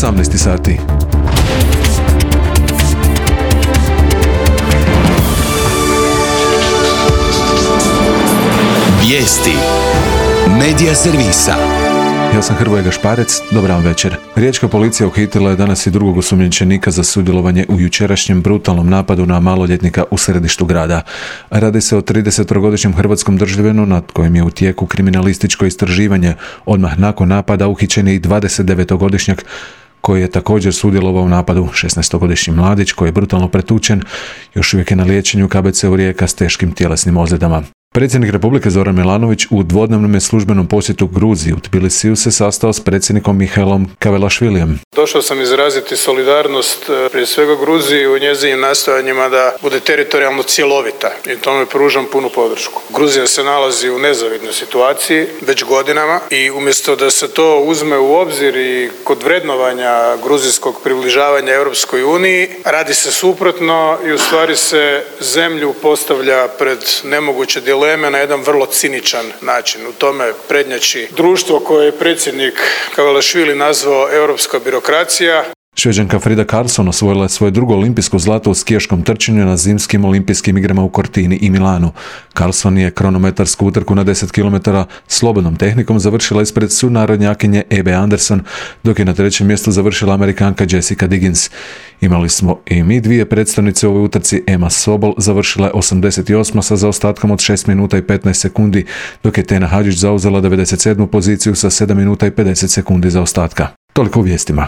18 sati. Vijesti Medija servisa. Ja sam Hrvoje Gašparec, dobar vam večer. Riječka policija uhitila je danas i drugog osumnjičenika za sudjelovanje u jučerašnjem brutalnom napadu na maloljetnika u središtu grada. Radi se o 30-godišnjem hrvatskom državljanu nad kojim je u tijeku kriminalističko istraživanje. Odmah nakon napada uhićen je i 29-godišnjak koji je također sudjelovao u napadu. 16-godišnji mladić koji je brutalno pretučen još uvijek je na liječenju u KBC-u Rijeka s teškim tjelesnim ozljedama. Predsjednik Republike Zoran Milanović u dvodnevnom službenom posjetu Gruziji u Tbilisiju se sastao s predsjednikom Mihailom Kavelašvilijem. Došao sam izraziti solidarnost prije svega Gruziji u njezinim nastojanjima da bude teritorijalno cjelovita i tome pružam punu podršku. Gruzija se nalazi u nezavidnoj situaciji već godinama i umjesto da se to uzme u obzir i kod vrednovanja gruzijskog približavanja Europskoj uniji, radi se suprotno i u stvari se zemlju postavlja pred nemoguće dileme na jedan vrlo ciničan način. U tome prednjači društvo koje je predsjednik Kavelašvili nazvao europska birokracija. Šveđanka Frida Karlsson osvojila je svoje drugo olimpijsko zlato u skijaškom trčanju na zimskim olimpijskim igrama u Cortini i Milanu. Karlsson je kronometarsku utrku na 10 km slobodnom tehnikom završila ispred sunarodnjakinje Ebe Anderson, dok je na trećem mjestu završila Amerikanka Jessica Diggins. Imali smo i mi dvije predstavnice u ovoj utrci. Emma Sobol završila je 88. sa zaostatkom od 6 minuta i 15 sekundi, dok je Tena Hadžić zauzela 97. poziciju sa 7 minuta i 50 sekundi zaostatka. Toliko u vijestima.